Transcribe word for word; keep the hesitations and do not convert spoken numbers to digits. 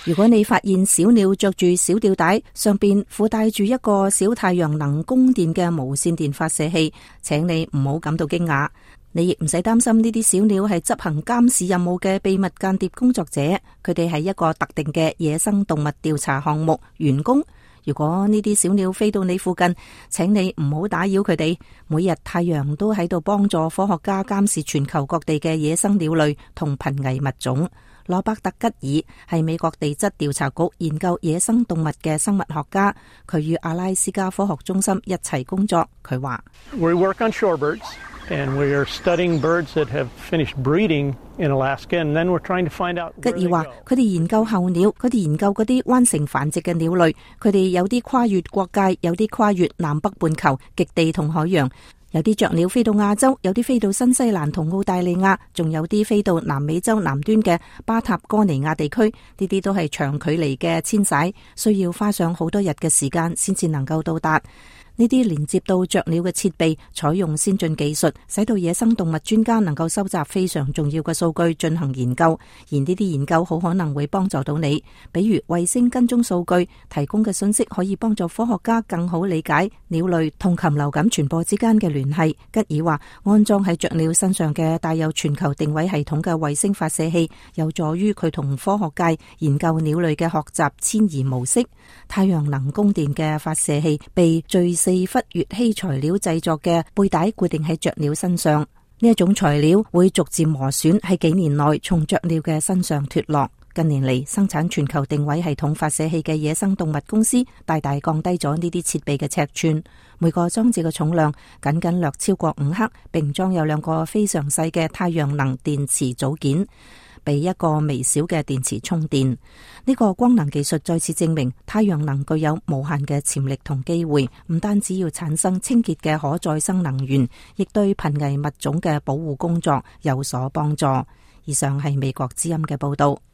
如果你發現小鳥着住小吊帶，上邊附帶住一個小太陽能供電嘅無線電發射器，請你唔好感到驚訝。你亦唔使擔心呢啲小鳥係執行監視任務嘅秘密間諜工作者，佢哋係一個特定嘅野生動物調查項目員工。如果呢啲小鳥飛到你附近，請你唔好打擾佢哋。每日太陽都喺度幫助科學家監視全球各地嘅野生鳥類同瀕危物種。羅伯特吉爾係美國地質調查局研究野生動物嘅生物學家，佢與阿拉斯加科學中心一齊工作。佢話：We work on shorebirds, and we are studying birds that have finished breeding in Alaska, and then we're trying to find out where they go. 吉爾話：佢哋研究候鳥，佢哋研究嗰啲彎成繁殖嘅鳥類，佢哋有啲跨越國界，有啲跨越南北半球、極地同海洋。有啲雀鳥飛到亞洲，有啲飛到新西蘭同澳大利亞，仲有啲飛到南美洲南端嘅巴塔哥尼亞地區。呢啲都係長距離嘅遷徙，需要花上好多日嘅時間先至能夠到達。呢啲連接到雀鳥嘅設備採用先進技術，使到野生動物專家能夠收集非常重要嘅數據進行研究，而呢啲研究好可能會幫助到你。比如衛星跟蹤數據提供嘅信息可以幫助科學家更好理解鳥類同禽流感傳播之間嘅聯繫。吉爾話，安裝喺雀鳥身上嘅帶有全球定位系統嘅衛星發射器，有助於佢同科學界研究鳥類嘅學習遷移模式。太陽能供電嘅發射器被最四氟乙烯材料製作嘅背帶固定喺雀鳥身上，呢一種材料會逐漸磨損，喺幾年內從雀鳥嘅身上脫落。近年嚟，生產全球定位系統發射器嘅野生動物公司大大降低咗呢啲設備嘅尺寸，每個裝置嘅重量僅僅略超過五克，並裝有兩個非常細嘅太陽能電池組件，俾一個微小嘅電池充電。呢個光能技術再次證明太陽能具有無限嘅潛力同機會，唔單止要產生清潔嘅可再生能源，亦對瀕危物種嘅保護工作有所幫助。以上係美國之音嘅報道。